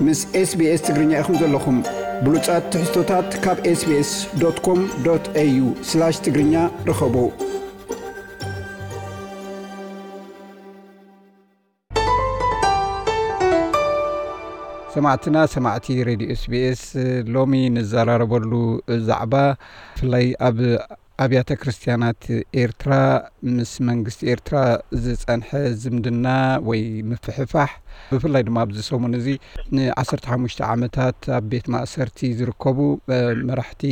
ምስ SBS ትግርኛ ኢኹም ዘለኹም። ብሉጻት ትሕዝቶታት ካብ SBS.com.au/ትግርኛ ርኸቡ። ሰማዕትና፣ ሰማዕቲ ሬድዮ SBS፣ ሎሚ ንዘራረበሉ ዛዕባ ብፍላይ ኣብ ኣብያተ ክርስቲያናት ኤርትራ ምስ መንግስቲ ኤርትራ ዝጸንሐ ዝምድና ወይ ምፍሕፋሕ፣ ብፍላይ ድማ ኣብዚ ሰሙን እዚ ን15 ዓመታት ኣብ ቤት ማእሰርቲ ዝርከቡ መራሕቲ፣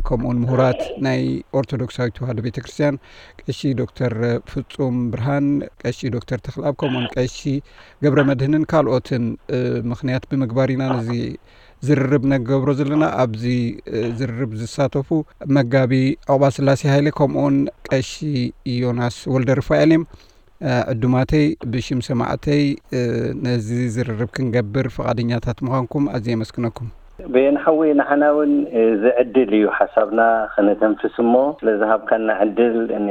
ከምኡውን ምሁራት ናይ ኦርቶዶክሳዊት ተዋህዶ ቤተክርስትያን፣ ቀሺ ዶክተር ፍጹም ብርሃን፣ ቀሺ ዶክተር ተኽልኣብ፣ ከምኡውን ቀሺ ገብረ መድህንን ካልኦትን ምኽንያት ብምግባር ኢና ነዚ ዝርርብ ነገብሮ ዘለና። ኣብዚ ዝርርብ ዝሳተፉ መጋቢ ዑቕባ ስላሴ ሃይለ ከምኡውን ቀሺ ዮናስ ወልደ ርፋኤል እዮም። ዕዱማተይ፣ ብሽም ሰማዕተይ ነዚ ዝርርብ ክንገብር ፍቓደኛታት ምዃንኩም ኣዝየ የመስግነኩም። በየን ሓወይ፣ ንዓና እውን እዚ ዕድል እዩ ሓሳብና ከነተንፍስ እሞ፣ ስለ ዝሃብካና ዕድል ን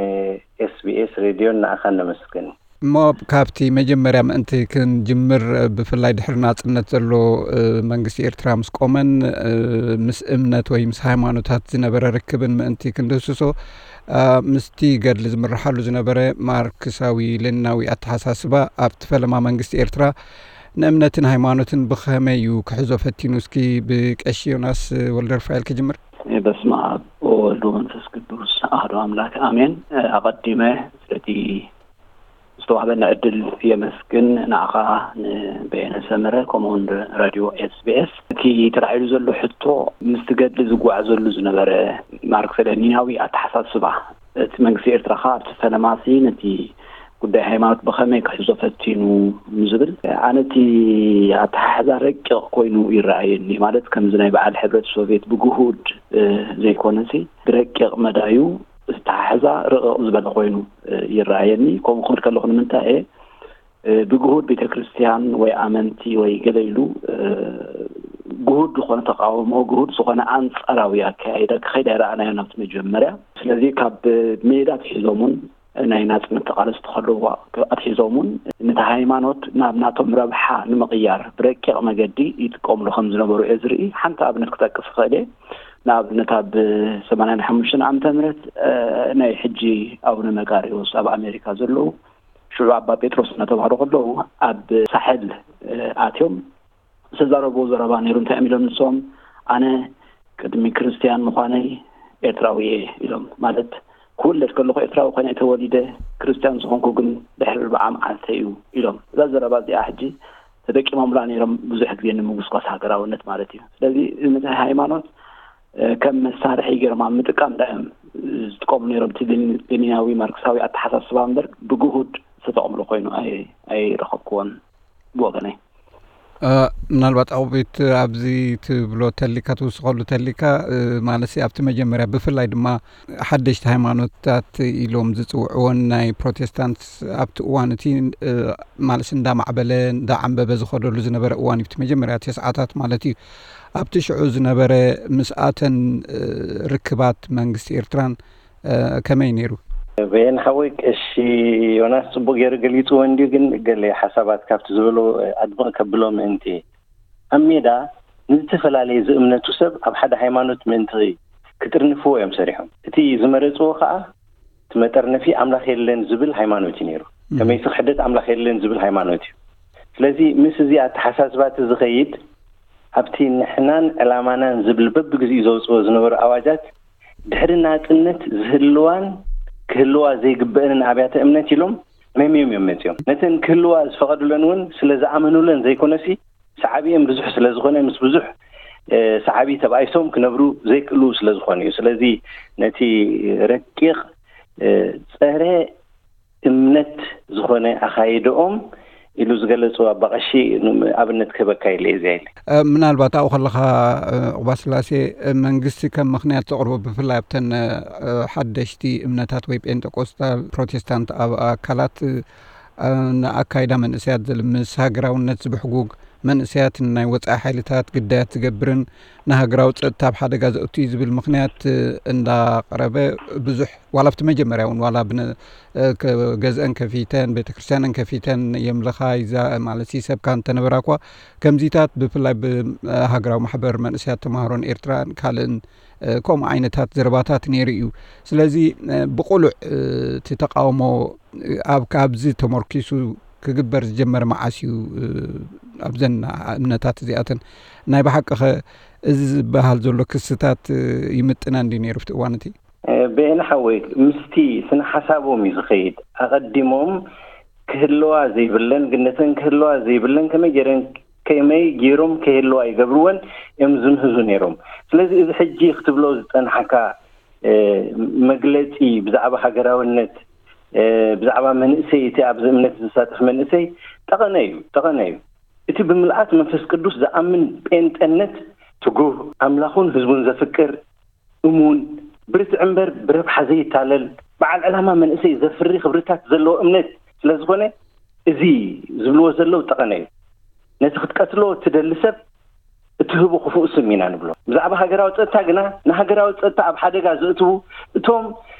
SBS ሬድዮን ንዓኻ ነመስግን። እሞ ካብቲ መጀመርያ ምእንቲ ክንጅምር፣ ብፍላይ ድሕሪ ናጽነት ዘሎ መንግስቲ ኤርትራ ምስ ቆመን ምስ እምነት ወይ ምስ ሃይማኖታት ዝነበረ ርክብን ምእንቲ ክንድህስሶ፣ ምስቲ ገድሊ ዝምርሓሉ ዝነበረ ማርክሳዊ ሌኒናዊ ኣተሓሳስባ ኣብቲ ፈለማ መንግስቲ ኤርትራ ንእምነትን ሃይማኖትን ብኸመይ እዩ ክሕዞ ፈቲኑ? እስኪ ብቀሺ ዮናስ ወልደ ርፋኤል ክጅምር። በስመ ኣብ ወወልድ ወመንፈስ ቅዱስ ኣሐዱ ኣምላክ ኣሜን። ኣቐዲመ ስለቲ ዝተዋህበና ዕድል የመስግን። ንዓኻ፣ ንበየነ ሰመረ፣ ከምኡውን ራድዮ SBS። እቲ ተላዒሉ ዘሎ ሕቶ ምስቲ ገድሊ ዝጓዓዘሉ ዝነበረ ማርክስ ሌኒናዊ ኣተሓሳስባ፣ እቲ መንግስቲ ኤርትራ ኸኣ ኣብቲ ፈለማሲ ነቲ ጉዳይ ሃይማኖት ብኸመይ ክሕዞ ፈቲኑ ንዝብል፣ ኣነ እቲ ኣተሓሕዛ ረቂቕ ኮይኑ ይረኣየኒ። ማለት ከምዚ ናይ በዓል ሕብረት ሶቪየት ብግሁድ ዘይኮነሲ ብረቂቕ መዳዩ ዝተሓሕዛ ርቕቕ ዝበለ ኮይኑ ይረኣየኒ። ከምኡ ክብል ከለኹ ንምንታይ እየ ብግሁድ ቤተ ክርስቲያን ወይ ኣመንቲ ወይ ገለ ኢሉ ግሁድ ዝኾነ ተቃውሞ፣ ግሁድ ዝኾነ ኣንጻራዊ ኣካያይዳ ክኸይድ ኣይረኣናዮን ኣብቲ መጀመርያ። ስለዚ ካብ ሜዳ ኣትሒዞም እውን ናይ ናጽነት ተቓለስቲ ከለዉ ኣትሒዞም እውን ነቲ ሃይማኖት ናብ ናቶም ረብሓ ንምቕያር ብረቂቕ መገዲ ይጥቀምሉ ከም ዝነበሩ እየ ዝርኢ። ሓንቲ ኣብነት ክጠቅስ እኽእል እየ። ንኣብነት ኣብ ሰማንያን ሓሙሽተን ዓመተ ምህረት ናይ ሕጂ ኣቡነ መቃርዮስ ኣብ ኣሜሪካ ዘለዉ ሽዑ ኣባ ጴጥሮስ እናተባህሉ ከለዉ ኣብ ሳሕል ኣትዮም ዝተዛረብዎ ዘረባ ነይሩ። እንታይ እዮም ኢሎም ንሶም? ኣነ ቅድሚ ክርስትያን ምዃነይ ኤርትራዊ እየ ኢሎም። ማለት ክውለድ ከለኹ ኤርትራዊ ኮይነ ተወሊደ፣ ክርስትያን ዝኾንኩ ግን ድሕሪ ኣርብዓ መዓልተ እዩ ኢሎም። እዛ ዘረባ እዚኣ ሕጂ ተጠቂሞምላ ነይሮም ብዙሕ ግዜ ንምጉስጓስ ሃገራውነት ማለት እዩ። ስለዚ ነቲ ሃይማኖት ከም መሳርሒ ገይሮም ኣብ ምጥቃም ዳ እዮም ዝጥቀሙ ነይሮም። እቲ ሌኒናዊ ማርክሳዊ ኣተሓሳስባ እምበር ብግሁድ ዝተጠቕምሉ ኮይኑ ኣይረኸብክዎን ብወገነይ። ምናልባት ኣቑቢት ኣብዚ ትብሎ ተሊካ፣ ትውስኸሉ ተሊካ፣ ማለሲ ኣብቲ መጀመርያ ብፍላይ ድማ ሓደሽቲ ሃይማኖታት ኢሎም ዝፅውዕዎን ናይ ፕሮቴስታንት ኣብቲ እዋን እቲ ማለሲ እንዳማዕበለ እንዳዓንበበ ዝኸደሉ ዝነበረ እዋን እዩ፣ እቲ መጀመርያ ተስዓታት ማለት እዩ። ኣብቲ ሽዑ ዝነበረ ምስኣተን ርክባት መንግስቲ ኤርትራን ከመይ ነይሩ? በየን ሓወይ፣ ቀሺ ዮናስ ጽቡቕ ገይሩ ገሊጽዎ እንድዩ፣ ግን ገለ ሓሳባት ካብቲ ዝበሎ ኣድምቕ ከብሎ ምእንቲ። ኣብ ሜዳ ንዝተፈላለየ ዝእምነቱ ሰብ ኣብ ሓደ ሃይማኖት ምእንቲ ክጥርንፍዎ እዮም ሰሪሖም። እቲ ዝመረጽዎ ከኣ እቲ መጠርነፊ ኣምላኽ የለን ዝብል ሃይማኖት እዩ ነይሩ። ከመይሲ ክሕደት ኣምላኽ የለን ዝብል ሃይማኖት እዩ። ስለዚ ምስ እዚ ኣተሓሳስባ እቲ ዝኸይድ ኣብቲ ንሕናን ዕላማናን ዝብል በብግዚኡ ዘውጽኦ ዝነበሩ ኣዋጃት ድሕሪ ናጽነት ዝህልዋን ክህልዋ ዘይግበአንን ኣብያተ እምነት ኢሎም መምዮም እዮም መጺኦም። ነተን ክህልዋ ዝፈቐዱለን እውን ስለ ዝኣመኑለን ዘይኮነሲ፣ ሳዕቢኦም ብዙሕ ስለ ዝኾነ፣ ምስ ብዙሕ ሳዕቢ ተባኢሶም ክነብሩ ዘይክእሉ ስለ ዝኾኑ እዩ። ስለዚ ነቲ ረቂቕ ጸረ እምነት ዝኾነ ኣኻይድኦም ኢሉ ዝገለጹ ኣባቐሺ ኣብነት ክህበካ ኢለ እየ። እዚኣ ኢለ። ምናልባት ኣብኡ ከለኻ፣ ዑቕባ ስላሴ፣ መንግስቲ ከም ምኽንያት ዘቕርቦ፣ ብፍላይ ኣብተን ሓደሽቲ እምነታት ወይ ጴንጠቆስታል ፕሮቴስታንት ኣብ ኣካላት ንኣካይዳ መንእሰያት ዝልምስ ሃገራውነት ዝብሕጉግ መንእሰያትን ናይ ወጻኢ ሓይልታት ግዳያት ዝገብርን ንሃገራዊ ጸጥታ ኣብ ሓደጋ ዘእቱ እዩ ዝብል ምኽንያት እንዳቐረበ ብዙሕ ዋላ ኣብቲ መጀመርያ እውን ዋላ ብነ ገዝአን ከፊተን ቤተክርስትያንን ከፊተን የምልኻ ይዛ ማለት ሰብካ እንተነበራ እኳ ከምዚታት ብፍላይ ብሃገራዊ ማሕበር መንእሰያት ተማሃሮን ኤርትራን ካልእን ከምኡ ዓይነታት ዘረባታት ነይሩ እዩ። ስለዚ ብቁሉዕ እቲ ተቃውሞ ኣብ ካብዚ ተመርኪሱ ክግበር ዝጀመረ መዓስ እዩ? ኣብዘን እምነታት እዚኣተን ናይ ብሓቂ ኸ እዚ ዝበሃል ዘሎ ክስታት ይምጥነን ድዩ ነይሩ ኣብቲ እዋን እቲ? በየነ ሓወይ፣ ምስቲ ስነ ሓሳቦም እዩ ዝኸይድ። ኣቐዲሞም ክህልዋ ዘይብለን፣ ግነተን ክህልዋ ዘይብለን፣ ከመይ ገይረን ከመይ ገይሮም ከይህልዋ ይገብርወን እዮም ዝምህዙ ነይሮም። ስለዚ እዚ ሕጂ ክትብሎ ዝጸናሕካ መግለጺ ብዛዕባ ሃገራውነት፣ ብዛዕባ መንእሰይ፣ እቲ ኣብዚ እምነት ዝሳተፍ መንእሰይ ጠቐነ እዩ፣ ጠቐነ እዩ። እቲ ብምልኣት መንፈስ ቅዱስ ዝኣምን ጴንጠነት ትጉህ፣ ኣምላኹን ህዝቡን ዘፍቅር፣ እሙን፣ ብርትዕ እምበር ብረብሓ ዘይታለል፣ በዓል ዕላማ መንእሰይ ዘፍሪ ክብርታት ዘለዎ እምነት ስለ ዝኾነ፣ እዚ ዝብልዎ ዘለዉ ጠቐነ እዩ። ነቲ ክትቀትሎ እትደሊ ሰብ እትህቦ ክፉእ ስም ኢና ንብሎ። ብዛዕባ ሃገራዊ ጸጥታ ግና፣ ንሃገራዊ ጸጥታ ኣብ ሓደጋ ዘእትዉ እቶም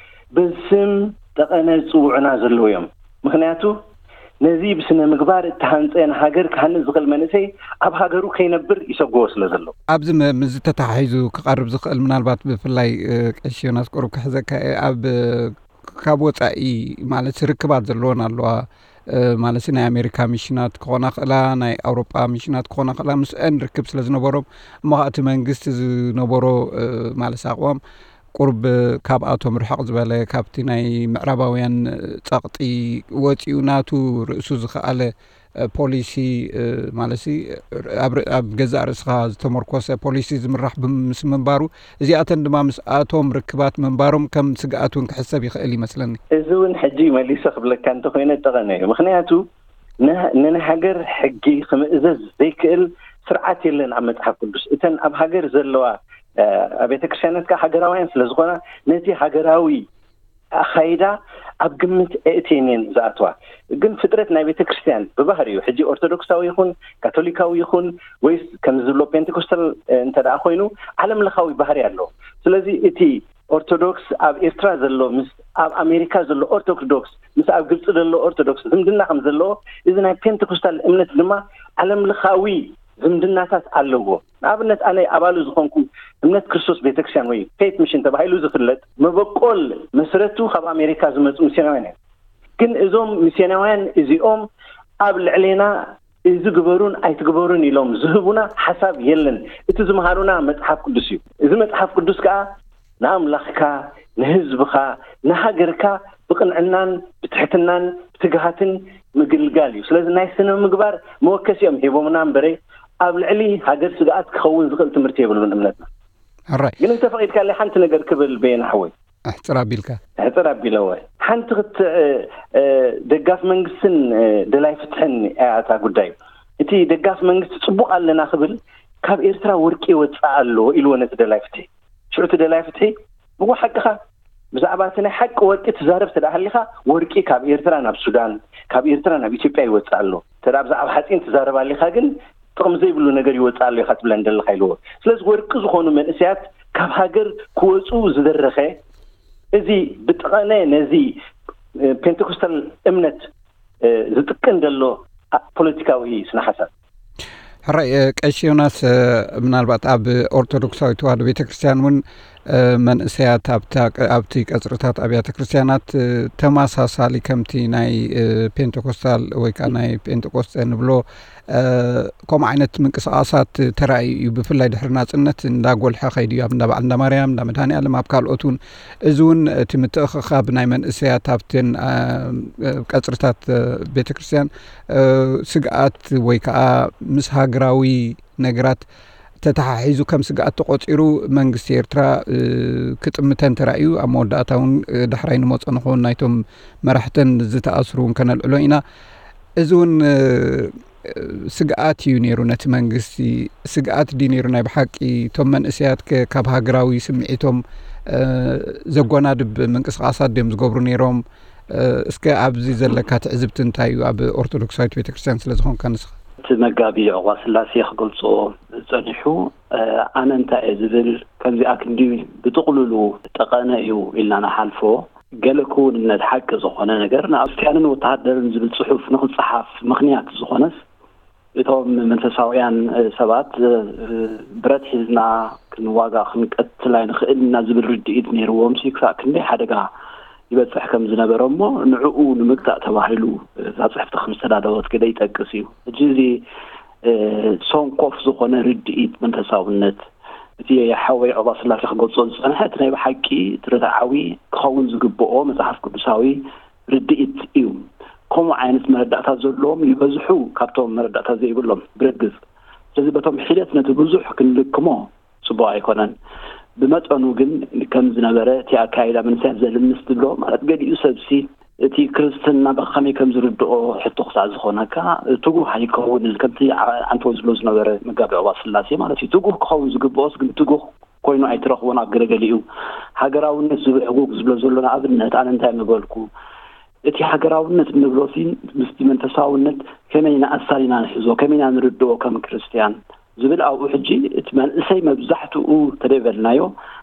በዚ ስም ጠቐነ ዝጽውዑና ዘለዉ እዮም። ምኽንያቱ፣ ነዚ ብስነ ምግባር እተሃንጸ ንሃገር ክሃንጽ ዝኽእል መንእሰይ ኣብ ሃገሩ ከይነብር ይሰግዎ ስለ ዘለዉ። ኣብዚ ም-፣ ምስዚ ተተሓሒዙ ክቐርብ ዝኽእል ምናልባት ብፍላይ፣ እ፣ ቀሺ ዮናስ ቁሩብ ክሕዘካ እየ። ኣብ፣ እ፣ ካብ ወጻኢ ማለት ርክባት ዘለወን ኣለዋ። እ፣ ማለት ናይ ኣሜሪካ ሚሽናት ክኾና ክእላ፣ ናይ ኣውሮጳ ሚሽናት ክኾና ክእላ፣ ምስአን ርክብ ስለ ዝነበሮም፣ እሞ ኸኣ እቲ መንግስቲ ዝነበሮ፣ እ፣ ማለት ኣቕዋም ቁሩብ ካብኣቶም ርሕቕ ዝበለ፣ ካብቲ ናይ ምዕራባውያን ጸቕጢ ወጺኡ ናቱ ርእሱ ዝኸኣለ፣ እ፣ ፖሊሲ፣ እ፣ ማለትሲ ኣብ ር-፣ ኣብ ገዛእ ርእስኻ ዝተመርኮሰ ፖሊሲ ዝምራሕ ብም-፣ ምስ ምንባሩ፣ እዚኣተን ድማ ምስኣቶም ርክባት ምንባሮም ከም ስግኣት እውን ክሕሰብ ይኽእል ይመስለኒ። እዚ እውን ሕጂ መሊሰ ክብለካ እንተኾይነ ጠቐነ እዩ። ምኽንያቱ ነ-፣ ንናይ ሃገር ሕጊ ክምእዘዝ ዘይክእል ስርዓት የለን ኣብ መጽሓፍ ቅዱስ። እተን ኣብ ሃገር ዘለዋ፣ እ፣ ኣብያተ ክርስቲያናት ከኣ ሃገራውያን ስለ ዝኾና ነቲ ሃገራዊ ኣኻይዳ ኣብ ግምት ኣእትየን እየን ዝኣትዋ። ግን ፍጥረት ናይ ቤተ ክርስቲያን ብባህሪኡ፣ ሕጂ ኦርቶዶክሳዊ ይኹን ካቶሊካዊ ይኹን ወይስ ከም ዝብሎ ፔንቴኮስታል፣ እ፣ እንተ ደኣ ኮይኑ ዓለም ለኻዊ ባህሪ ኣለዎ። ስለዚ እቲ ኦርቶዶክስ ኣብ ኤርትራ ዘሎ ምስ ኣብ ኣሜሪካ ዘሎ ኦርቶዶክስ ምስ ኣብ ግብጺ ዘሎ ኦርቶዶክስ ዝምድና ከም ዘለዎ፣ እዚ ናይ ፔንቴኮስታል እምነት ድማ ዓለም ለኻዊ ዝምድናታት ኣለዎ። ንኣብነት ኣነ ኣባሉ ዝኾንኩ እምነት ክርስቶስ ቤተክርስትያን ወይ ፌት ሚሽን ተባሂሉ ዝፍለጥ መበቆል መስረቱ ካብ ኣሜሪካ ዝመጹ ሚስዮናውያን እዮም። ግን እዞም ሚስዮናውያን እዚኦም ኣብ ልዕሌና እዚ ግበሩን ኣይትግበሩን ኢሎም ዝህቡና ሓሳብ የለን። እቲ ዝምሃሩና መጽሓፍ ቅዱስ እዩ። እዚ መጽሓፍ ቅዱስ ከኣ ንኣምላኽካ፣ ንህዝብኻ፣ ንሃገርካ ብቕንዕናን ብትሕትናን ብትግሃትን ምግልጋል እዩ። ስለዚ ናይ ስነ ምግባር መወከሲኦም ሂቦምና እምበረ ኣብ ልዕሊ ሃገር ስግኣት ክኸውን ዝኽእል ትምህርቲ የብሉን እምነትና። ሕራይ። ግን እንተፈቒድካለይ ሓንቲ ነገር ክብል በየነ ሓወይ። ኣሕጽር ኣቢልካ። ኣሕጽር ኣቢለወ። ሓንቲ ክት-፣ እ፣ እ፣ ደጋፍ መንግስትን፣ እ፣ ደላይ ፍትሕን እያ እታ ጉዳይ። እቲ ደጋፍ መንግስቲ ጽቡቕ ኣለና ክብል ካብ ኤርትራ ወርቂ ይወጽእ ኣሎ ኢልዎ ነቲ ደላይ ፍትሒ። ሽዑ እቲ ደላይ ፍትሒ፣ "እወ ሓቅኻ፣ ብዛዕባ እቲ ናይ ሓቂ ወርቂ ትዛረብ እንተ ደኣ ሃሊኻ፣ ወርቂ ካብ ኤርትራ ናብ ሱዳን፣ ካብ ኤርትራ ናብ ኢትዮጵያ ይወጽእ ኣሎ። እንተ ደኣ ብዛዕባ ሓጺን ትዛረብ ኣሊኻ ግን፣ ጥቕሚ ዘይብሉ ነገር ይወጽእ ኣሎ ኢኻ ትብለኒ ዘለኻ" ኢልዎ። ስለዚ ወርቂ ዝኾኑ መንእሰያት ካብ ሃገር ክወጹ ዝደረኸ፣ እዚ ብጠቐነ ነዚ፣ እ፣ ፔንቴኮስታል እምነት፣ እ፣ ዝጥቅን ዘሎ ፖለቲካዊ ስነ ሓሳብ። ሕራይ፣ እ፣ ቀሺ ዮናስ፣ እ፣ ምናልባት ኣብ ኦርቶዶክሳዊት ተዋህዶ ቤተክርስትያን እውን፣ እ፣ መንእሰያት ኣብታ ቀ-፣ ኣብቲ ቀጽርታት ኣብያተ ክርስትያናት፣ እ፣ ተመሳሳሊ ከምቲ ናይ፣ እ፣ ፔንቴኮስታል ወይ ከኣ ናይ ፔንጤቆስጠ ንብሎ፣ እ፣ ከምኡ ዓይነት ምንቅስቓሳት ተራእዩ እዩ። ብፍላይ ድሕሪ ናጽነት እንዳጎልሐ ከይዱ እዩ። ኣብ እንዳ በዓል እንዳ ማርያም፣ እንዳ መድሃኔ ዓለም፣ ኣብ ካልኦት እውን። እዚ እውን እቲ ምትእኽኻብ ናይ መንእሰያት ኣብተን፣ እ፣ ቀጽርታት፣ እ፣ ቤተክርስትያን፣ እ፣ ስግኣት ወይ ከኣ ምስ ሃገራዊ ነገራት ተተሓሒዙ ከም ስግኣት ተቖጺሩ መንግስቲ ኤርትራ፣ እ፣ ክጥምተን ተራእዩ። ኣብ መወዳእታ እውን፣ እ፣ ዳሕራይ ንመጾ ንኸውን ናይቶም መራሕተን ዝተኣስሩ እውን ከነልዕሎ ኢና። እዚ እውን፣ እ፣ ስግኣት እዩ ነይሩ ነቲ መንግስቲ። ስግኣት ድዩ ነይሩ ናይ ብሓቂ? እቶም መንእሰያት ከ ካብ ሃገራዊ ስምዒቶም፣ እ፣ ዘጓናድብ ምንቅስቓሳት ድዮም ዝገብሩ ነይሮም? እ፣ እስከ ኣብዚ ዘለካ ትዕዝብቲ እንታይ እዩ? ኣብ ኦርቶዶክሳዊት ቤተክርስትያን ስለ ዝኾንካ ንስኻ። እቲ መጋቢ ዑቕባ ስላሴ ክገልጾ ጸኒሑ፣ ኣነ እንታይ እየ ዝብል፣ ከምዚኣ ክንዲ ብጥቕልሉ ጠቐነ እዩ ኢልና ንሓልፎ። ገለ ክውንነት ሓቂ ዝኾነ ነገር ንክርስትያንን ወተሃደርን ዝብል ጽሑፍ ንኽጸሓፍ ምኽንያት ዝኾነስ፣ እቶም መንፈሳውያን ሰባት ብረት ሒዝና ክንዋጋ ክንቀትል ኣይንኽእል ኢና ዝብል ርድኢት ነይርዎም ሲ ክሳዕ ክንደይ ሓደጋ ይበጽሕ ከም ዝነበረ እሞ ንዕኡ ንምግታእ ተባሂሉ እዛ ጽሕፍቲ ከም ዝተዳለወት ገለ ይጠቅስ እዩ። ሕጂ እዚ ሰንኮፍ ዝኾነ ርድኢት መንፈሳውነት እቲ ሓወይ ዑቕባ ስላሴ ክገልጾ ዝጸንሐ እቲ ናይ ብሓቂ እቲ ርትዓዊ ክኸውን ዝግብኦ መጽሓፍ ቅዱሳዊ ርድኢት እዩ። ከምኡ ዓይነት መረዳእታ ዘለዎም ይበዝሑ ካብቶም መረዳእታ ዘይብሎም ብርግጽ። ስለዚ በቶም ሒደት ነቲ ብዙሕ ክንልክሞ ጽቡቕ ኣይኮነን። ብመጠኑ ግን ከም ዝነበረ እቲ ኣካይዳ መንእሰያት ዘልምስ ትብሎ ማለት ገሊኡ ሰብሲ እቲ ክርስትና ብኸመይ ከም ዝርድኦ ሕቶ ክሳዕ ዝኾነካ ትጉህ ኣይከውንን ከምቲ ዓንተወ ዝብሎ ዝነበረ መጋቢ ዑቕባ ስላሴ ማለት እዩ። ትጉህ ክኸውን ዝግብኦስ ግን ትጉህ ኮይኑ ኣይትረኽቦን። ኣብ ገለገሊኡ ሃገራውነት ዝብል ዕጉግ ዝብሎ ዘሎ ንኣብነት ኣነ እንታይ ምበልኩ እቲ ሃገራውነት እንብሎ ሲ ምስቲ መንፈሳውነት ከመይ ንኣሳኒና ንሕዞ ከመይ ኢና ንርድኦ ከም ክርስትያን ዝብል ኣብኡ ሕጂ እቲ መንእሰይ መብዛሕትኡ ተደይበልናዮ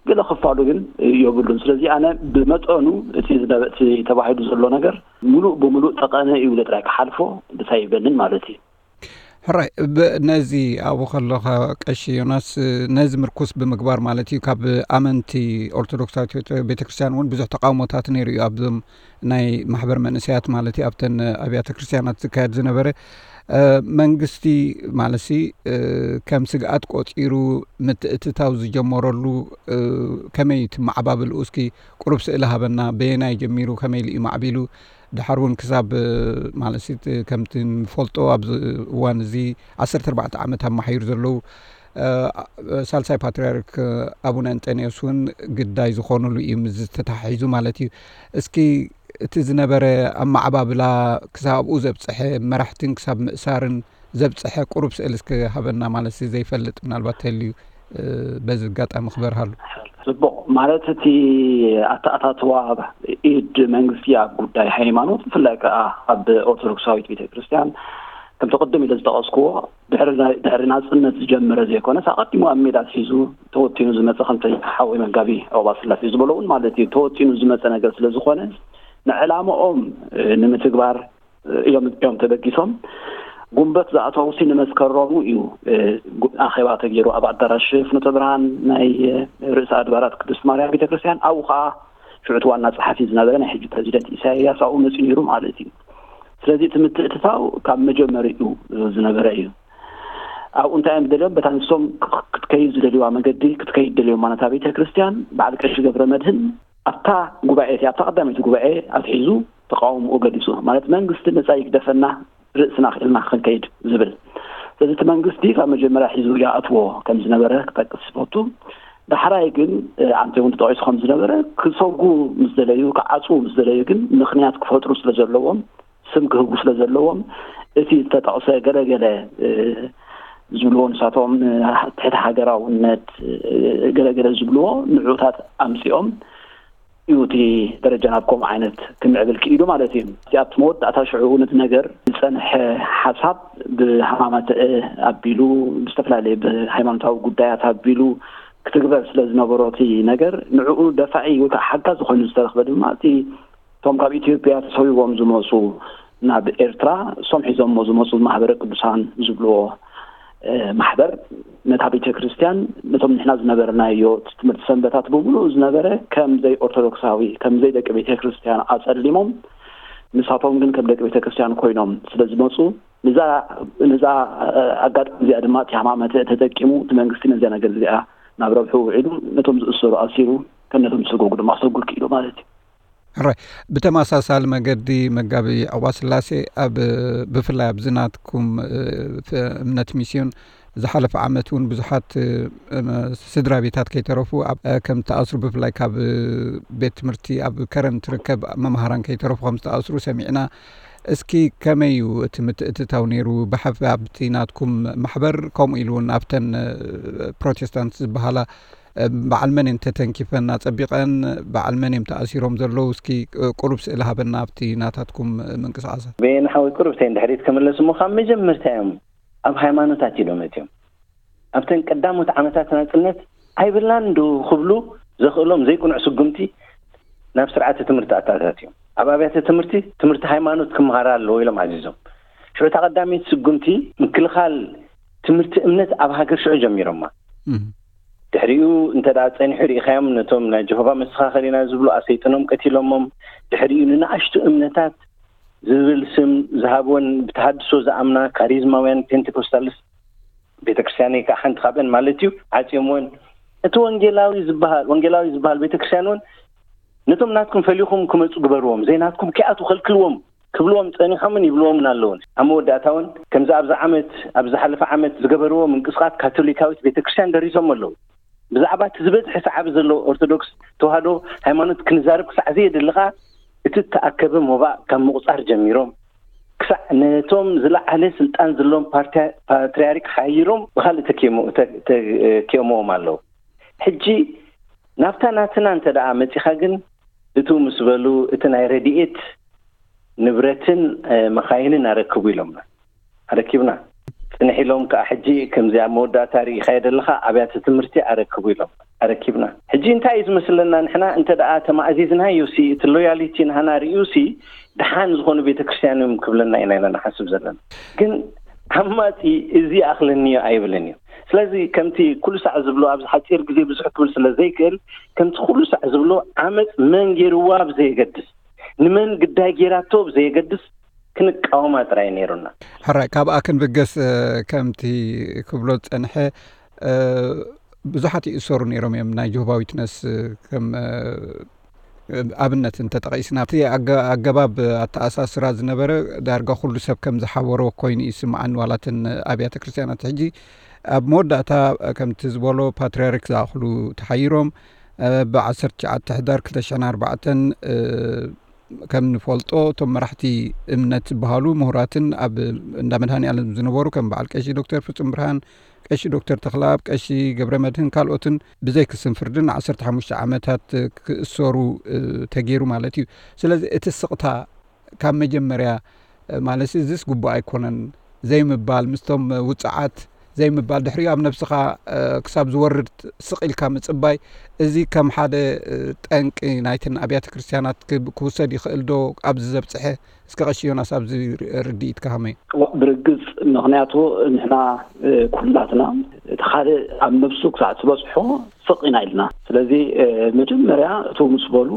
ገለ ክፋሉ ግን የብሉን። ስለዚ ኣነ ብመጠኑ እቲ ዝነበ እቲ ተባሂሉ ዘሎ ነገር ሙሉእ ብሙሉእ ጠቐነ እዩ ኢለ ጥራይ ክሓልፎ ደስ ኣይብለንን ማለት እዩ። ሕራይ ነዚ ኣብኡ ከለኻ ቀሺ ዮናስ ነዚ ምርኩስ ብምግባር ማለት እዩ ካብ ኣመንቲ ኦርቶዶክሳዊት ቤተክርስትያን እውን ብዙሕ ተቃውሞታት ነይሩ እዩ ኣብዞም ናይ ማሕበር መንእሰያት ማለት እዩ ኣብተን ኣብያተ ክርስትያናት ዝካየድ ዝነበረ መንግስቲ ማለት ሲ ከም ስግኣት ቆፂሩ ምትእትታው ዝጀመረሉ ከመይ ትመዓባብልኡ እስኪ ቁሩብ ስእሊ ሃበና በየናይ ጀሚሩ ከመይ ኢሉ እዩ ማዕቢሉ ድሓር እውን ክሳብ ማለት ከምቲ ንፈልጦ ኣብዚ እዋን እዚ ዓሰርተ ኣርባዕተ ዓመት ኣማሓይሩ ዘለዉ ሳልሳይ ፓትርያርክ ኣቡነ እንጠንዮስ እውን ግዳይ ዝኾኑሉ እዩ ምስ ዝተታሒዙ ማለት እዩ። እስኪ እቲ ዝነበረ ኣመዓባብላ ክሳብ ኣብኡ ዘብፀሐ መራሕትን ክሳብ ምእሳርን ዘብፀሐ ቁሩብ ስእሊ እስኪ ሃበና ማለት ዘይፈልጥ ምናልባት ተልዩ በዚ ኣጋጣሚ ክበርሃሉ። ጽቡቕ ማለት እቲ ኣተኣታትዋ ኢድ መንግስቲ ኣብ ጉዳይ ሃይማኖት ብፍላይ ከዓ ኣብ ኦርቶዶክሳዊት ቤተክርስትያን ከምቲ ቅድም ኢለ ዝጠቐስክዎ ድሕሪ ናፅነት ዝጀመረ ዘይኮነስ ኣቐዲሙ ኣብ ሜዳ ኣትሒዙ ተወጢኑ ዝመፀ ከምቲ ሓወይ መጋቢ ዑቕባስላሴ ዝበሎ እውን ማለት እዩ ተወጢኑ ዝመፀ ነገር ስለዝኾነ ንዕላምኦም ንምትግባር እዮም እዮም ተበጊሶም ጉንበት ዝኣተውሲ ንመስከረሙ እዩ ኣኼባ ተገይሩ ኣብ ኣዳራሽ ፍኖተ ብርሃን ናይ ርእሰ ኣድባራት ቅድስት ማርያም ቤተክርስትያን ኣብኡ ከዓ ሽዑ እቲ ዋና ፀሓፊ ዝነበረ ናይ ሕጂ ፕረዚደንት ኢሳያስ ኣብኡ መፅኡ ነይሩ ማለት እዩ ስለዚ እቲ ምትእትታው ካብ መጀመሪኡ ዝነበረ እዩ ኣብኡ እንታይ እዮም ደልዮም በታ ንሶም ክትከይድ ዝደልዋ መገዲ ክትከይድ ደልዮም ማነታ ቤተክርስትያን በዓል ቀሺ ገብረ መድህን ኣብታ ጉባኤ እቲኣ ኣብታ ቀዳመይቲ ጉባኤ ኣትሒዙ ተቃውምኡ ገሊፁ ማለት መንግስቲ ነፃ ይግደፈና ርእስና ክእልና ክንከይድ ዝብል ስለዚ እቲ መንግስቲ ካብ መጀመርያ ሒዙ ይኣትዎ ከም ዝነበረ ክጠቅስ ዝፈቱ ዳሕራይ ግን ኣንተ እውን ተጠቂሱ ከም ዝነበረ ክሰጉ ምስ ዘለዩ ክዓፅዉ ምስ ዘለዩ ግን ምክንያት ክፈጥሩ ስለ ዘለዎም ስም ክህቡ ስለ ዘለዎም እቲ ዝተጠቕሰ ገለገለ ዝብልዎ ንሳቶም ትሕቲ ሃገራውነት ገለገለ ዝብልዎ ንዑታት ኣምፅኦም እዩ እቲ ደረጃ ናብ ከምኡ ዓይነት ክምዕብል ክኢሉ ማለት እዩ። እቲ ኣብቲ መወዳእታ ሽዑ ነቲ ነገር ዝፀንሐ ሓሳብ ብሃማማትአ ኣቢሉ ብዝተፈላለየ ብሃይማኖታዊ ጉዳያት ኣቢሉ ክትግበር ስለ ዝነበሮ እቲ ነገር ንዕኡ ደፋኢ ወይ ከዓ ሓጋዝ ዝኾኑ ዝተረኽበ ድማ እቲ እቶም ካብ ኢትዮጵያ ተሰዊዎም ዝመፁ ናብ ኤርትራ እሶም ሒዞሞ ዝመፁ ማህበረ ቅዱሳን ዝብልዎ ማሕበር ነታ ቤተ ክርስቲያን ነቶም ንሕና ዝነበርናዮ ትምህርቲ ሰንበታት ብምሉኡ ዝነበረ ከም ዘይ ኦርቶዶክሳዊ ከም ዘይ ደቂ ቤተ ክርስቲያን ኣጸሊሞም ንሳቶም ግን ከም ደቂ ቤተ ክርስቲያን ኮይኖም ስለ ዝመፁ ንዛ ንዛ ኣጋጣሚ እዚኣ ድማ እቲ ሃማመተ ተጠቂሙ እቲ መንግስቲ ነዚኣ ነገር እዚኣ ናብ ረብሑ ውዒሉ ነቶም ዝእሰሩ ኣሲሩ ከም ነቶም ዝሰጎጉ ድማ ክሰጉር ክኢሉ ማለት እዩ። ሕራይ ብተመሳሳሊ መገዲ መጋቢ ዕቑባስላሴ ኣብ ብፍላይ ኣብዚ ናትኩም እምነት ሚስዮን ዝሓለፈ ዓመት እውን ብዙሓት ስድራ ቤታት ከይተረፉ ከም ተኣስሩ ብፍላይ ካብ ቤት ትምህርቲ ኣብ ከረን ትርከብ መምሃራን ከይተረፉ ከም ዝተኣስሩ ሰሚዕና። እስኪ ከመይ እዩ እቲ ምትእትታው ነይሩ ብሓፊ ኣብቲ ናትኩም ማሕበር ከምኡ ኢሉ እውን ኣብተን ፕሮቴስታንት ዝበሃላ በዓል መን እየን ተተንኪፈን ኣጸቢቐን በዓል መን እዮም ተኣሲሮም ዘለዉ እስኪ ቁሩብ ስእሊ ሃበና ኣብቲ ናታትኩም ምንቅስቃሳት። በየነ ሓወይ ቁሩብ ተይ እንድሕሪት ክምለስ እሞ ካብ መጀመርታ እዮም ኣብ ሃይማኖት ኣትዮም እዮም። ኣብተን ቀዳሞት ዓመታት ናጽነት ኣይብላን ዶ ክብሉ ዘኽእሎም ዘይቅኑዕ ስጉምቲ ናብ ስርዓተ ትምህርቲ ኣተኣታትዮም። ኣብ ኣብያተ ትምህርቲ ትምህርቲ ሃይማኖት ክመሃራ ኣለዎ ኢሎም ኣዚዞም። ሽዑ እታ ቀዳመይቲ ስጉምቲ ምክልኻል ትምህርቲ እምነት ኣብ ሃገር ሽዑ ጀሚሮማ። ድሕሪኡ እንተ ደኣ ጸኒሑ ርኢኻዮም፣ ነቶም ናይ ጀሆቫ መሰኻኸር ኢና ዝብሉ ኣሰይጥኖም ቀቲሎሞም። ድሕሪኡ ንንኣሽቱ እምነታት ዝብል ስም ዝሃብወን ብተሃድሶ ዝኣምና ካሪዝማውያን ፔንቴኮስታልስ ቤተክርስትያን ከዓ ሓንቲ ካብአን ማለት እዩ፣ ዓጽዮምወን። እቲ ወንጌላዊ ዝበሃል ወንጌላዊ ዝበሃል ቤተክርስትያን እውን ነቶም ናትኩም ፈሊኹም ክመፁ ግበርዎም፣ ዘይናትኩም ከይኣትዉ ከልክልዎም ክብልዎም ጸኒሖምን ይብልዎምን ኣለውን። ኣብ መወዳእታ እውን ከምዚ ኣብዚ ዓመት ኣብ ዝሓለፈ ዓመት ዝገበርዎ ምንቅስቃስ ካቶሊካዊት ቤተክርስትያን ደሪሶም ኣለዉ። ብዛዕባ እቲ ዝበዝሐ ሰዓቢ ዘለዎ ኦርቶዶክስ ተዋህዶ ሃይማኖት ክንዛረብ ክሳዕ ዘየድሊ ከኣ እቲ እተኣከበ ሞባእ ካብ ምቑጻር ጀሚሮም ክሳዕ ነቶም ዝለዓለ ስልጣን ዘለዎም ፓርትያ- ፓትርያርክ ሓይሮም ብኻልእ ተኪሞ- ተ- ተ- ኪኦምዎም ኣለዉ። ሕጂ ናብታ ናትና እንተ ደኣ መጺኻ ግን እቱ ምስ በሉ እቲ ናይ ረድኤት ንብረትን መኻይንን ኣረክቡ ኢሎምና። ኣረኪብና። ጽንሕ ኢሎም ከኣ ሕጂ ከምዚ ኣብ መወዳእታ ርኢኻዮ ዘለኻ ኣብያተ ትምህርቲ ኣረክቡ ኢሎም ኣረኪብና። ሕጂ እንታይ እዩ ዝመስለና ንሕና እንተ ደኣ ተማእዚዝናዮ ሲ እቲ ሎያሊቲ ንሃና ርእዩ ሲ ደሓን ዝኾኑ ቤተክርስትያን እዮም ክብለና ኢና ኢና ንሓስብ ዘለና። ግን ዓማጺ እዚ ኣኽለኒዮ ኣይብልን እዩ። ስለዚ ከምቲ ኩሉ ሳዕ ዝብሎ ኣብዚ ሓጺር ግዜ ብዙሕ ክብል ስለ ዘይክእል ከምቲ ኩሉ ሳዕ ዝብሎ ዓመጽ መን ገይርዋ ብዘየገድስ ንመን ግዳይ ገይራቶ ብዘየገድስ ክንቃወማ ጥራይ ነይሩና። ሕራይ ካብኣ ክንብገስ ከምቲ ክብሎ ዝጸንሐ ብዙሓት ይእሰሩ ነይሮም እዮም። ናይ ጆሆባ ዊትነስ ከም ኣብነት እንተጠቒስና እቲ ኣገባብ ኣተኣሳስራ ዝነበረ ዳርጋ ኩሉ ሰብ ከም ዝሓበሮ ኮይኑ ይስምዓኒ። ዋላትን ኣብያተ ክርስትያናት ሕጂ ኣብ መወዳእታ ከምቲ ዝበሎ ፓትርያርክ ዝኣኽሉ ተሓይሮም ብ19 ሕዳር 2004 ከም ንፈልጦ እቶም መራሕቲ እምነት ዝበሃሉ ምሁራትን ኣብ እንዳ መድሃኒ ኣለም ዝነበሩ ከም በዓል ቀሺ ዶክተር ፍጹም ብርሃን፣ ቀሺ ዶክተር ተኽለኣብ፣ ቀሺ ገብረ መድህን ካልኦትን ብዘይክስን ፍርድን 15 ዓመታት ክእሰሩ ተገይሩ ማለት እዩ። ስለዚ እቲ ስቕታ ካብ መጀመርያ ማለት እዚስ ግቡእ ኣይኮነን ዘይምባል ምስቶም ውፅዓት ዘይምባል ድሕሪኡ ኣብ ነብስኻ ክሳብ ዝወርድ ስቕ ኢልካ ምፅባይ እዚ ከም ሓደ ጠንቂ ናይተን ኣብያተ ክርስትያናት ክውሰድ ይኽእል ዶ? ኣብዚ ዘብፅሐ እስከ ቀሺ ዮናስ ኣብዚ ርድኢትካ ከመይ? ብርግፅ ምኽንያቱ ንሕና ኩላትና እቲ ካልእ ኣብ ነብሱ ክሳዕ ዝበፅሖ ስቕ ኢና ኢልና። ስለዚ መጀመርያ እቶም ምስ በሉ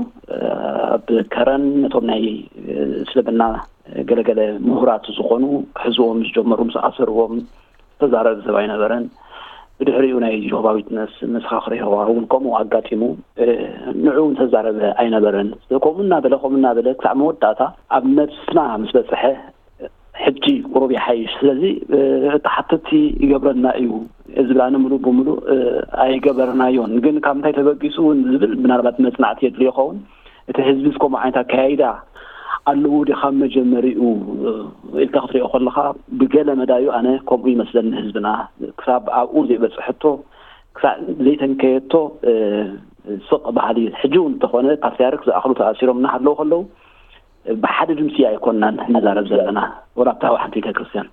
ኣብ ከረን ነቶም ናይ እስልምና ገለገለ ምሁራት ዝኾኑ ክሕዝዎም ዝጀመሩ ምስ ኣሰርዎም ተዛረብ ሰብ ኣይነበረን። ብድሕሪኡ ናይ ጆሆባ ዊትነስ መሰኻኽር የሆዋ እውን ከምኡ ኣጋጢሙ ንዑ ተዛረበ ኣይነበረን። ከምኡ እናበለ ከምኡ እናበለ ክሳዕ መወዳእታ ኣብ ነብስና ምስ በፅሐ ሕጂ ቁሩብ ይሓይሽ። ስለዚ እቲ ሓተቲ ይገብረና እዩ ዝብላኒ ምሉእ ብምሉእ ኣይገበርናዮን። ግን ካብ እንታይ ተበጊሱ እውን ዝብል ምናልባት መፅናዕቲ የድልዮ ይኸውን። እቲ ህዝቢ ከምኡ ዓይነት ኣካያይዳ ኣለዎ ዲ ካብ መጀመሪኡ ኢልካ ክትሪኦ ከለኻ ብገለ መዳዩ ኣነ ከምኡ ይመስለኒ። ህዝብና ክሳብ ኣብኡ ዘይበፅሐቶ ክሳብ ዘይተንከየቶ ስቕ ባህሊ ሕጂ እውን እንተኾነ ፓትርያርክ ዝኣኽሉ ተኣሲሮም እናሃለዉ ከለዉ ብሓደ ድምፂ ኣይኮንናን ንዛረብ ዘለና ወላ ኣብታ ሓንቲ ቤተክርስትያን።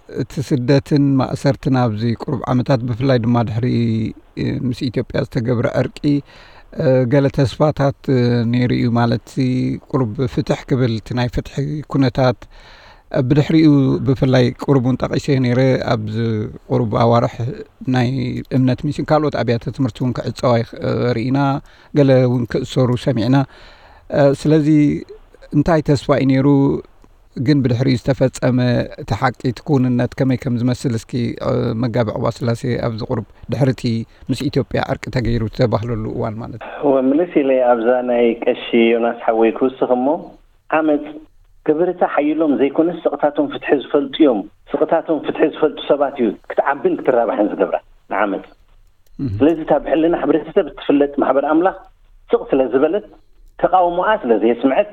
እቲ ስደትን ማእሰርትን ኣብዚ ቁሩብ ዓመታት ብፍላይ ድማ ድሕሪ ምስ ኢትዮጵያ ዝተገብረ ዕርቂ ገለ ተስፋታት ነይሩ እዩ። ማለት ቁሩብ ፍትሕ ክብል እቲ ናይ ፍትሒ ኩነታት ብድሕሪኡ ብፍላይ ቁሩብ እውን ጠቒሰ ነይረ ኣብዚ ቁሩብ ኣዋርሕ ናይ እምነት ሚስን ካልኦት ኣብያተ ትምህርቲ እውን ክዕፀዋ ርኢና ገለ እውን ክእሰሩ ሰሚዕና። ስለዚ እንታይ ተስፋ እዩ ነይሩ? ግን ብድሕሪኡ ዝተፈጸመ እቲ ሓቂ እቲ ክውንነት ከመይ ከም ዝመስል እስኪ መጋቢ ዕቑባ ስላሴ ኣብዚ ቁሩብ ድሕሪ እቲ ምስ ኢትዮጵያ ዕርቂ ተገይሩ ዝተባህለሉ እዋን ማለት እዩ። እወ ምልስ ኢለ ኣብዛ ናይ ቀሺ ዮናስ ሓወይ ክውስኽ እሞ ዓመፅ ገበርቲ ሓይሎም ዘይኮነስ ስቕታቶም ፍትሒ ዝፈልጡ እዮም። ስቕታቶም ፍትሒ ዝፈልጡ ሰባት እዩ ክትዓብን ክትራባሕን ዝገብራ ንዓመፅ። ስለዚ እታ ብሕልና ሕብረተሰብ እትፍለጥ ማሕበር ኣምላኽ ስቕ ስለ ዝበለት ተቓውሞኣ ስለ ዘየስምዐት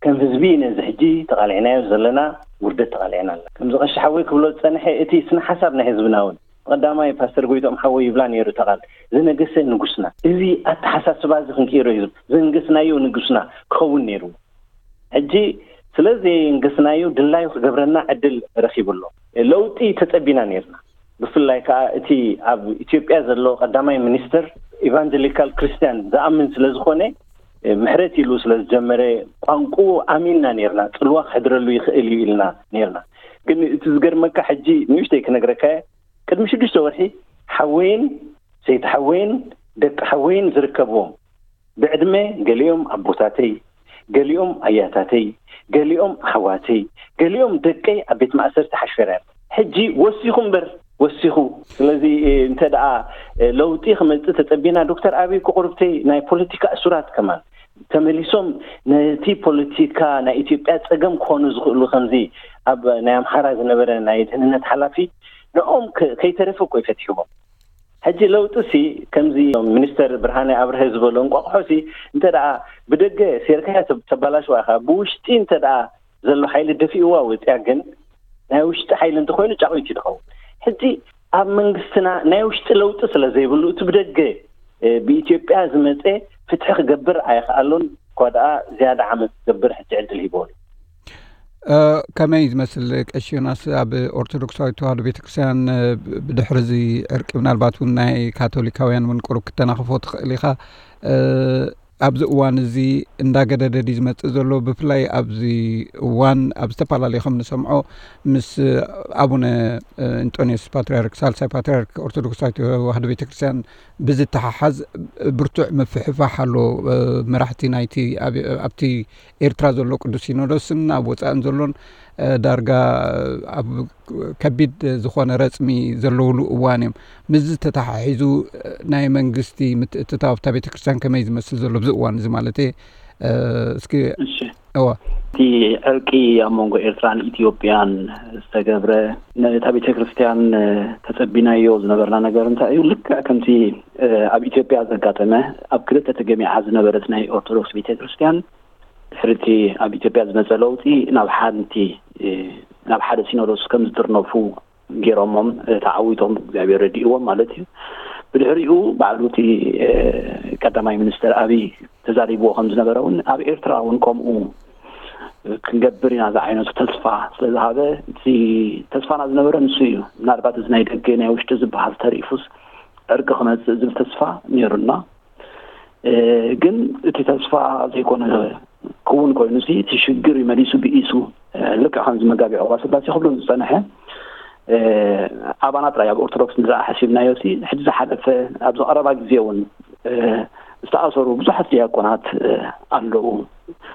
ከም ህዝቢ ነዚ ሕጂ ተቓሊዕናዮ ዘለና ውርደት ተቓሊዕና ኣለና። ከምዚ ቀሺ ሓወይ ክብሎ ዝጸንሐ እቲ ስነ ሓሳብ ናይ ህዝብና እውን ብቐዳማይ ፓስተር ጎይትኦም ሓወይ ይብላ ነይሩ እታ ቃል ዝነገሰ ንጉስና። እዚ ኣተሓሳስባ እዚ ክንቅይሮ እዩ ዝነገስናዮ ንጉስና ክኸውን ነይሩ። ሕጂ ስለ ዘየንገስናዮ ድላዩ ክገብረና ዕድል ረኺቡ ኣሎ። ለውጢ ተጸቢና ነርና። ብፍላይ ከኣ እቲ ኣብ ኢትዮጵያ ዘሎ ቀዳማይ ሚኒስትር ኢቫንጀሊካል ክርስትያን ዝኣምን ስለ ዝኾነ፣ ምሕረት ኢሉ ስለ ዝጀመረ፣ ቋንቁኡ ኣሚንና ነርና፣ ጽልዋ ክሕድረሉ ይኽእል እዩ ኢልና ነርና። ግን እቲ ዝገርመካ፣ ሕጂ ንእሽተይ ክነግረካ እየ። ቅድሚ ሽዱሽተ ወርሒ ሓወይን ሰይቲ ሓወይን ደቂ ሓወይን ዝርከብዎም፣ ብዕድመ ገሊኦም ኣቦታተይ፣ ገሊኦም ኣያታተይ፣ ገሊኦም ኣሕዋተይ፣ ገሊኦም ደቀይ ኣብ ቤት ማእሰርቲ ሓሽፈራ። ሕጂ ወሲኹ እምበር፣ ወሲኹ። ስለዚ እንተ ደኣ ለውጢ ክመጽእ ተጸቢና፣ ዶክተር ኣቢይ፣ ክቑርብተይ፣ ናይ ፖለቲካ እሱራት ከማን ተመሊሶም ነቲ ፖለቲካ ናይ ኢትዮጵያ ጸገም ክኾኑ ዝኽእሉ፣ ከምዚ ኣብ ናይ ኣምሓራ ዝነበረ ናይ ድህንነት ሓላፊ፣ ንኦም ከ-፣ ከይተረፈ እኮ ይፈትሕዎም። ሕጂ ለውጢ ሲ፣ ከምዚ ሚኒስተር ብርሃነ ኣብርሀ ዝበሎ፣ እንቋቑሖ ሲ፣ እንተ ደኣ ብደገ ሴርካያ ተብ-፣ ተባላሽዋ ኢኻ፣ ብውሽጢ እንተ ደኣ ዘሎ ሓይሊ ደፊእዋ ወጽያ፣ ግን ናይ ውሽጢ ሓይሊ እንተኾይኑ ጫቑ እዩ ዝኸውን። ሕጂ ኣብ መንግስትና ናይ ውሽጢ ለውጢ ስለ ዘይብሉ፣ እቲ ብደገ፣ እ፣ ብኢትዮጵያ ዝመጸ ፍትሒ ክገብር ኣይኽኣሎን፣ እኳ ደኣ ዝያዳ ዓመጽ ክገብር ሕጂ ዕድል ሂቦ ኣሎ። እ፣ ከመይ ዝመስል፣ ቀሺ ዮናስ፣ ኣብ ኦርቶዶክሳዊት ተዋህዶ ቤተክርስትያን፣ እ፣ ብድሕሪ እዚ ዕርቂ፣ ምናልባት እውን ናይ ካቶሊካውያን እውን ቁሩብ ክተናኽፎ ትኽእል ኢኻ። እ፣ ኣብዚ እዋን እዚ እንዳገደደ ድዩ ዝመጽእ ዘሎ? ብፍላይ ኣብዚ እዋን ኣብ ዝተፈላለዩ ከም ንሰምዖ ምስ ኣቡነ፣ እ፣ እንጦንዮስ ፓትርያርክ፣ ሳልሳይ ፓትርያርክ ኦርቶዶክሳዊት ተዋህዶ ቤተክርስትያን ብዝተሓሓዝ ብርቱዕ ምፍሕፋሕ ኣሎ። እ፣ መራሕቲ ናይቲ ኣብ-፣ ኣብቲ ኤርትራ ዘሎ ቅዱስ ሲኖዶስን ኣብ ወጻእን ዘሎን፣ እ፣ ዳርጋ ኣብ ከቢድ ዝኾነ ረጽሚ ዘለውሉ እዋን እዮም። ምስዚ ተተሓሒዙ፣ እ፣ ናይ መንግስቲ ምትእትታው ኣብታ ቤተክርስትያን ከመይ ዝመስል ዘሎ ኣብዚ እዋን እዚ ማለት እየ። እ፣ እስኪ እሺ። እዋ። እቲ ዕርቂ ኣብ መንጎ ኤርትራን ኢትዮጵያን ዝተገብረ፣ ነታ ቤተክርስትያን፣ እ፣ ተጸቢናዮ ዝነበርና ነገር እንታይ እዩ? ልክዕ ከምቲ፣ እ፣ ኣብ ኢትዮጵያ ዘጋጠመ፣ ኣብ ክልተ ተገሚዓ ዝነበረት ናይ ኦርቶዶክስ ቤተክርስትያን፣ ድሕሪ እቲ ኣብ ኢትዮጵያ ዝመጸ ለውጢ ናብ ሓንቲ፣ እ፣ ናብ ሓደ ሲኖዶስ ከም ዝጥርነፉ ገይሮሞም፣ እ፣ ተዓዊቶም፣ እግዚኣብሔር ረዲእዎም ማለት እዩ። ብድሕሪኡ ባዕሉ እቲ፣ እ፣ ቀዳማይ ሚኒስተር ኣብይ ተዛሪብዎ ከም ዝነበረ እውን፣ ኣብ ኤርትራ እውን ከምኡ ክንገብር ኢና ዝዓይነቱ ተስፋ ስለ ዝሃበ፣ እቲ ተስፋና ዝነበረ ንሱ እዩ። ምናልባት እዚ ናይ ደገ ናይ ውሽጢ ዝበሃል ተሪፉስ ዕርቂ ክመጽእ ዝብል ተስፋ ነይሩና። እ፣ ግን እቲ ተስፋ ዘይኮነ ክውን ኮይኑ ሲ፣ እቲ ሽግር እዩ መሊሱ ብኢሱ። እ፣ ልክዕ ከምዚ መጋቢ ዕቑባ ስላሴ ክብሎ ዝጸንሐ፣ እ፣ ኣባና ጥራይ ኣብ ኦርቶዶክስ ንዝኣ ሓሲብናዮ ሲ፣ ሕጂ ዝሓለፈ፣ ኣብዚ ቀረባ ግዜ እውን፣ እ፣ ዝተኣሰሩ ብዙሓት ዲያቆናት፣ እ፣ ኣለዉ።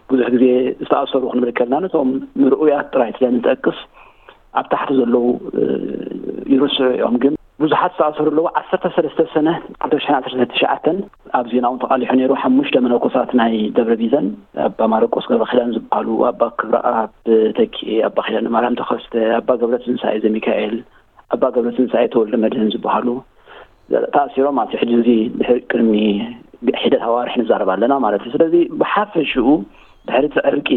ብዙሕ ግዜ ዝተኣሰሩ ክንብል ከለና ነቶም ምርኡያት ጥራይ ስለ ንጠቅስ፣ ኣብ ታሕቲ ዘለዉ፣ እ፣ ይርስዑ እዮም። ግን ብዙሓት ዝተኣሰሩ ኣለዉ። ዓሰርተ ሰለስተ ሰነ ክልተ ሽሕን ዓሰርተ ትሽዓተን ኣብ ዜና እውን ተቓሊሑ ነይሩ። ሓሙሽተ መነኮሳት ናይ ደብረ ቢዘን፣ ኣባ ማርቆስ ገብረ ኪዳን ዝበሃሉ፣ ኣባ ክብረኣብ ተኪኤ፣ ኣባ ኪዳነ ማርያም ተኸስተ፣ ኣባ ገብረ ትንሳኤ ዘሚካኤል፣ ኣባ ገብረ ትንሳኤ ተወልደ መድህን ዝበሃሉ ተኣሲሮም፣ ኣብቲ ሕጂ እዚ ድሕሪ ቅድሚ ሒደት ኣዋርሕ ንዛረብ ኣለና ማለት እዩ። ስለዚ ብሓፈሽኡ ድሕሪ እቲ ዕርቂ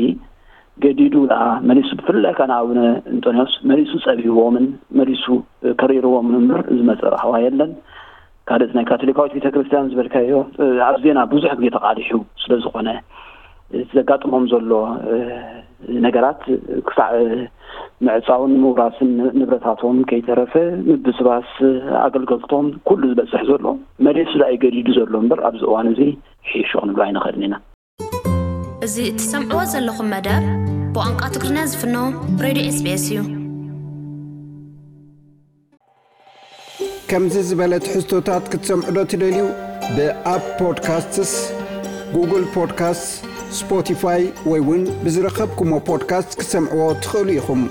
ገዲዱ ደኣ መሊሱ፣ ብፍላይ ከኣ ንኣቡነ እንጦንዮስ መሊሱ ጸቢብዎምን መሊሱ ከሪርዎምን እምበር ዝመጸ ራህዋ የለን። ካልእ ናይ ካቶሊካዊት ቤተክርስትያን ዝበልካዮ፣ ኣብ ዜና ብዙሕ ግዜ ተቓሊሑ ስለ ዝኾነ፣ ዘጋጥሞም ዘሎ ነገራት ክሳዕ ምዕጻውን ምውራስን ንብረታቶም ከይተረፈ ምብስባስ ኣገልገልቶም ኩሉ ዝበጽሕ ዘሎ መሊሱ ደኣ እዩ ገዲዱ ዘሎ እምበር ኣብዚ እዋን እዚ ሒሹ ክንብሎ ኣይንኽእልን ኢና። እዚ እትሰምዕዎ ዘለኹም መደብ ብቋንቋ ትግርኛ ዝፍኖ ሬድዮ ኤስ ቢ ኤስ እዩ። ከምዚ ዝበለ ትሕዝቶታት ክትሰምዑ ዶ ትደልዩ? ብኣፕ ፖድካስትስ፣ ጉግል ፖድካስትስ፣ ስፖቲፋይ ወይ እውን ብዝረኸብኩሞ ፖድካስት ክትሰምዕዎ ትኽእሉ ኢኹም።